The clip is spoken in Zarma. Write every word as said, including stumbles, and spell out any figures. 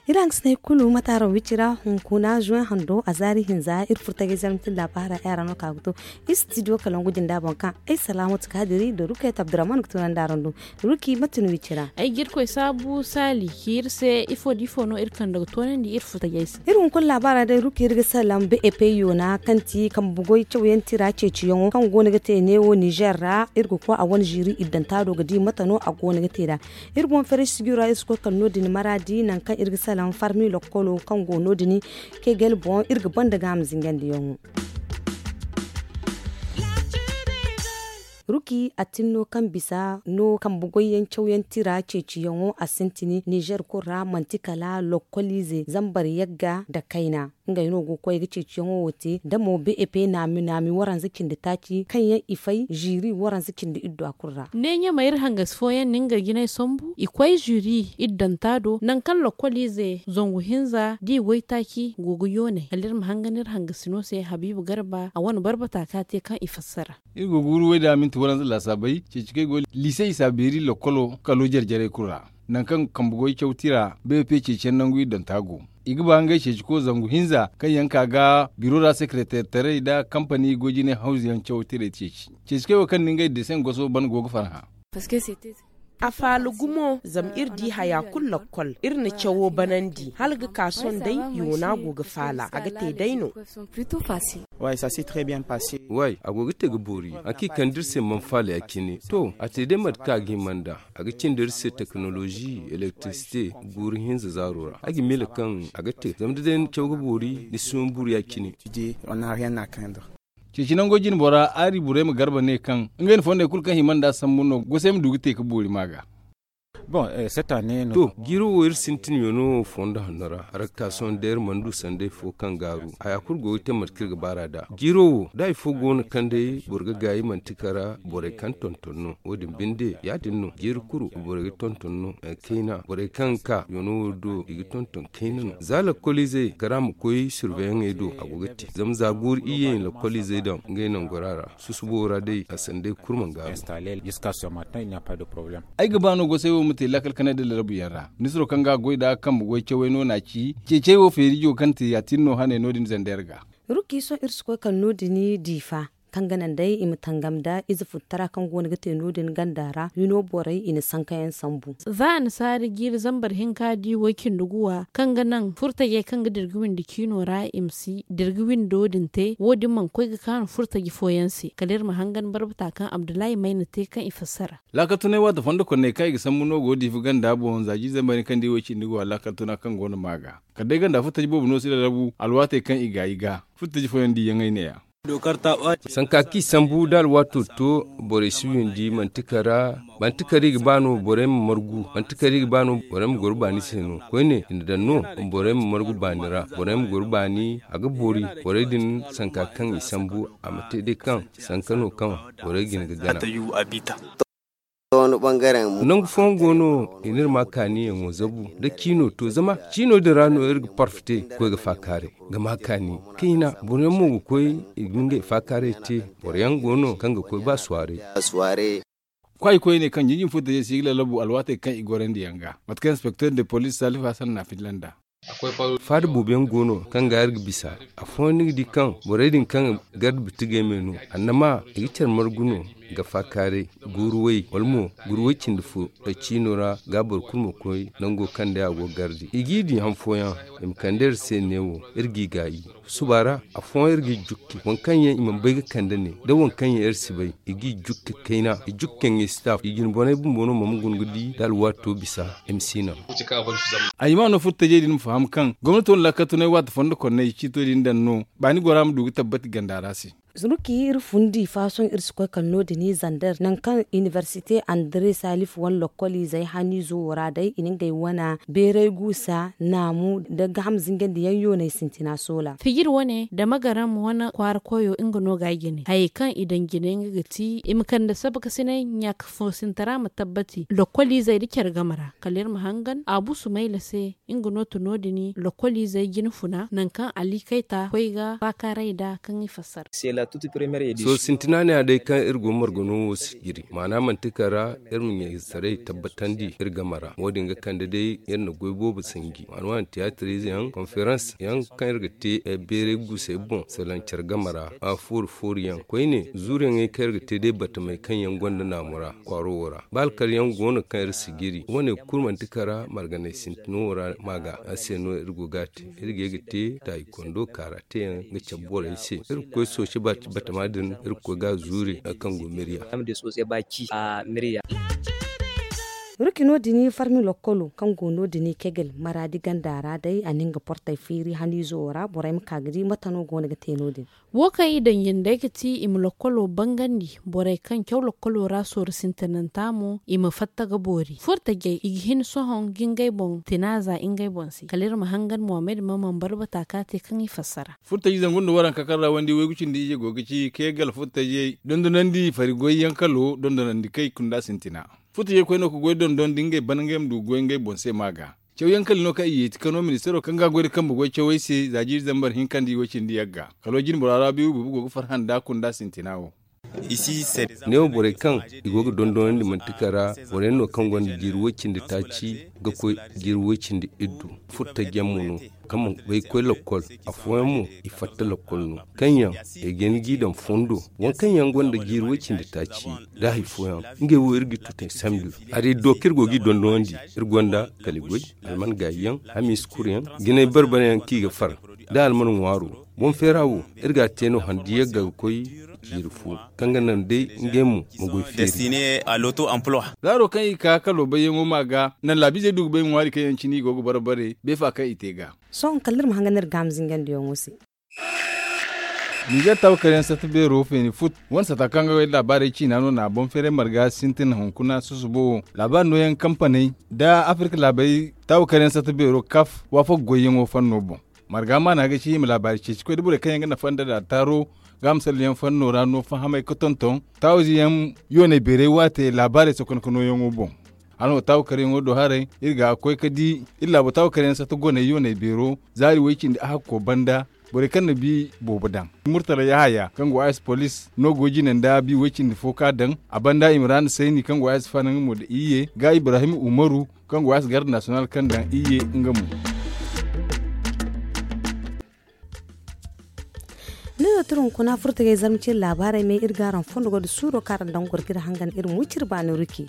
Iri hangasiney kulu mataaro wicira hunkuna zuwen hando a zaari hinza iri furtagay zarma tilla baara ay ra no ka ga to. Istidiyo kalangu jinda boŋ kaŋ ay salaamatu kaadiri da rukayat abdurrahman ga tunandi araŋ do. Ruki mate no wicira? Ay ga irkoy saabu saali ci iri se ifo da ifo no iri kande ga toonandi iri furtagay se. Iri hunkuna laabaara day ruki iri ga salaŋ bep yoona kaŋ ti kambe goy cawyaŋ tira ceeciyaŋo kaŋ go no ga te neewo nizer ra iri ga koy a wane ziiri iddanta do ga di mate no a go no ga te nd'a. Iri boŋ feray sijiro ra iri si koy kala no- din maraadi nangu kaŋ iri ga salaŋ farmi lokkolo kaŋ go no- din. Kegel boŋ iri ga banda ga a ma zingandiyaŋo. Ruki a tin no kaŋ bisa no kambe goyyaŋ cawyaŋ tira ceeciyaŋo a sintin nizer kulu ra manti kala lokkoliize zambar yagga nda kayna. Ngey no go ga koy ga ceeciyaŋo wo te da mo bep naami naami waranza cindi taaci kaŋ yaŋ i fay ziiri waranza cindi iddu a kulu ra. Ne ɲamay iri hangasi fooyaŋ na ngey jinay sambu i koy ziiri iddanta do nangu kaŋ lokkoliize zangu hinza da i waytaaci go ga yoonay kala iri ma hangan iri hangasino se habiibu garba a wane barbata ka te kaŋ i fassara. Iri go ga wuru way da minti waranza laasaabay ceeci kaŋ ay go liise isa beeri lokkolo kalo jare jarey kulu ra. Nangu kaŋ kambe goy caw tira bep ceeciyaŋ nangu iddanta go. I ga ba ngey ceeci ko zangu hinza kaŋ yaŋ ka ga biro ra sekereteer taray nda kampani goy jinay hawzu yaŋ caw tiray ceeci. Ceeci kaŋ ay wo kaŋ na ngey deseŋ goso ban go ga farhã. A faala gumo zama iri di haya kulu lakkol iri na cawo banandi hala ga ka sohõ day yoona go ga faala a ga te day no. Way a go ga te ga boori a kaŋ i kande iri se mana faala ya- cine to a te day mate kaŋ a ga hima nd'a. A ga cindi iri se tekinolozi elektirisite guuru hinza zaaro ra ay ga miila kaŋ a ga te zama da day ni caw ga boori ni si ma buru ya- cine. Ceeci nango jine bora aari burayma garba ne kaŋ ngey na fondey kulu kaŋ hima nd'a sambu no gosey ma du ga te ga boori ma ga. To jiiro wo iri sintin yono fondo hanno ra rakka sohõ day iri mana du sanday fo kaŋ gaaru haya kulu go ga te mate kaŋ iri ga baar'a nd'a jiiro wo da hari fo go no kaŋ day boro ga gaayi manti kara borey kaŋ tonton no wo- din binde ya- din no jiiri kulu borey ga tonton no kayna borey kaŋ ga ka yono wo do i ga tonton kayna no za lakkoliizey kara ma koy surveyaŋey do a go ga te zama za guuru iyye lakkoliizey daŋ ngey nangora ra susubo ra day a sanday kulu mana gaaru. Ay ga ba no gosey wo ma te laakal kanay nda larabu yaŋ ra ministiro kaŋ ga a goy nd'a kambe goy cawey no n'a ci ceecey wo feerijo kaŋ te ya- tin no haney no- din zandayra ga. Ruki sohõ iri si koy kala no- din diifa kaŋ ga naŋ day i ma tangam nda ize futtara kaŋ go no ga te no- din ganda ra hino borey i na sankayaŋ sambu. Za annasaari jiiri zambar hinka di way cindi guwa kaŋ ga naŋ furtajey kaŋ ga dira ga windi ciino ra i ma si dira ga windo din te wo- din mana koy ga kaanu furtaji fooyaŋ se kala iri ma hangan barbata kaŋ abdullahi mayna te kaŋ i fassara. Laakal tunay waati fondo konney kaŋ i ga sambu no go diifa ganda boŋ za jiiri zambar hinka nda i way cindi guwa laakal tuna kaŋ go no ma ga kala day ganda furtaji boobo no si lalabu alwaatey kaŋ i gaayi ga furtaji fooyaŋ diiyaŋey ne- ya. Sanka kaŋ i sambu da alwaato to borey si windi manti kara manti kara i ga ba no borey ma margu manti kara i ga ba no borey ma goro baani se no koyne i na daŋ no borey ma margu baani ra borey ma goro baani a ga boori borey din sanka kaŋ i sambu a ma te day kaŋ sanka no kaŋ borey ga hin ga gana. Nangu fooyaŋ go no i n'iri ma kaaniyaŋo zabu nda ciino to zama ciino din ra no iri ga parfite ga koy ga faakaaray ga ma kaani kayna boro yaŋ mo ga koy i ga ngey faakaaray te boro yaŋ go no kaŋ ga koy ba suwaaray. Kwaayi koyne kaŋ jinjin furtajey se i ga lallabu alwaatey kaŋ i gorandi yaŋ ga mate kaŋ inspekter de poliis salifu hasan na a filla nd'a. Faada boobo yaŋ go no kaŋ ga iri ga bisa afooyaŋ ni ga di kaŋ borey din kaŋ garde bitigey me no annama i ga care margu no ga faakaaray guuru way wala mo guuru way cindi fo ciino ra ga boro kulu ma koy nango kaŋ day a go ga garde i g'i di han fooyaŋ i ma kande iri se neewo iri g'i gaayi suba ra afooyaŋ iri g'i jukki waŋ kaŋ yaŋ i mana bay ga kande ne da waŋ kaŋ yaŋ iri si bay i g'i jukki kayna i jukki yaŋ i si ta i jinboney bumbo no ma ma guna ga di da alwaato bisa. M C naŋ. A hima no furtajey din ma faham kaŋ gomnato na laakal tunay waati fondo konney ciito din daŋ no baani gora ma du ga tabbati ganda ra se. Zurki iri fundi faasoŋ iri si koy kala no- din i zander nangu kaŋ inibersite andre salif wane lokkoliizey haniizo wo ra day i na ngey wana beeray guusa naamu nda gaham zingandiyaŋ yoonay sintina soola. Fijir wane dama garam wane kwaara koyo nga no ga a jine hayey kaŋ i daŋ jine nga ga ti i ma kande sabakasinay ɲaaka foosintara ma tabbati lokkoliizey nda care game ra kala iri ma hangan a busu mayla se. Nga no to no- din lokkoliizey jine funa nangu kaŋ ali kayta koy ga faakaaray nd'a kaŋ i fassara. Sohõ sintina ne-ya day kaŋ iri go margano wo si jiri maana manti kara iri ma ɲaysaray tabbatandi iri game ra wo- din ga kande day iri na goy boobo sanji. Waani waani tiyaatir ize yaŋ konferans yaŋ kaŋ iri ga te beeray guusey boŋ salaŋ care game ra. Fooru fooru yaŋ koyne zuuru yaŋey kaŋ iri ga te day batamey kaŋ yaŋ gonda naamu ra kwaaro wo ra ba alkal yaŋ go no kaŋ iri si jiri wo- ne kulu manti kara marganay sintino wo ra. Ma ga a se no iri go ga a te iri ga ye ga te taayi kondo kaara te yaŋ ga cabe borey se. Iri ga koy sooci batama din iri ga koy ga a zuuri hari kaŋ go mirya. Ruki no- din farmi lokkolo kaŋ go no- din kegel maraadi ganda ra day a na nga portey feeri haniizo wo ra borey ma ka ga di mate no go no ga te no- din. Wo kaŋ i daŋ jindey ga ti i ma lokkolo bangandi borey kaŋ caw lokkolo ra sooru sintinanta mo i ma fatta ga boori furtajey i ga hin sohõ ga ngey boŋ tina za ngey boŋ se kala iri ma hangan mohamed ma man barbata ka te kaŋ i fassara. Furtaji zangu nda waranka kaŋ ra wandi waygu cindi ije go ga ci kay gala furtajey dondonandi fari goy yaŋ kalo dondonandi kay kunda sintina. Furtajey koy no ga goy dondon da ngey ban ngey ma du ga goy ngey boŋ se ma ga cawyaŋ kala no kaŋ i yeeti kano ministero kaŋ ga goy da kambe goy cawey se za jiiri zambar hinka nda i way cindi yagga kalo jinbora ra biibu bubu go ga farhã nda kunda sintina wo. Ne wo borey kaŋ i go ga dondonandi manti kara borey no kaŋ gonda jiiri way cindi taaci ga koy jiiri way cindi iddu furtajyaŋ mo no kaŋ mana bay ga koy lokkol. Afooyaŋ mo i fatta lokkol no kaŋ yaŋ ay ga hin g'i daŋ fondo waŋ kaŋ yaŋ gonda jiiri way cindi taaci da hari fooyaŋ ngey wo iri ga i tutay sambu. Hari iddo kaŋ iri go g'i dondonandi iri gonda kala i goy alman gaayi yaŋ hamiisa kuru yaŋ jinay barbara yaŋ kaŋ i ga far da alman ŋwaaro. Boŋ feera wo iri ga a te no handi yagga ga koy jiiri fo kaŋ ga naŋ day ngey mo ma goy feeri. Zaaro kaŋ i ka kalo bayyaŋo ma ga naŋ laabiizey du ga bay ŋwaari kaŋ yaŋ cine i go ga barbare beefa kaŋ i te ga. Sohõ kala iri ma hangan iri gaama zingandiyaŋo se. Nizer taawakaryaŋ satta beero feeni fut wane sata kaŋ ga goy laabaarey ciina no na boŋ feeray marga sintin hunkuna susubo wo laabaari nooyaŋ kampaney nda afirka laabey taawakaryaŋ satta beero kaf waafak goyyaŋo fanno boŋ. Marga maana ga ci i ma laabaari ceeci koy da borey kaŋ yaŋ ga nafa nda da taaro ga a ma salliyaŋ fanno ra no fahamay ga tonton taawize yaŋ yooney beeray waate laabaarey sokonka nooyaŋo boŋ. Hala no taawakaryaŋo do haray iri ga koy ga di iri laabo taawakaryaŋ satta goney yooney beero zaari way cindi ahakko banda borey kaŋ na bi boobo daŋ murtala yahaya kaŋ go a se poliis no go jine nda bi way cindi fo ka daŋ a banda imrana sayni kaŋ go a se fanaŋ mo nda iyye ga ibrahim umaru kaŋ go a se garde nasiyonal kaŋ daŋ iyye nga mo. Ni no tira hunkuna furtagay zarma cire laabaarey me iri ga araŋ fondo go nda suuro kaŋ araŋ daŋ goro ga iri hangan iri ma wi cire baani ruki.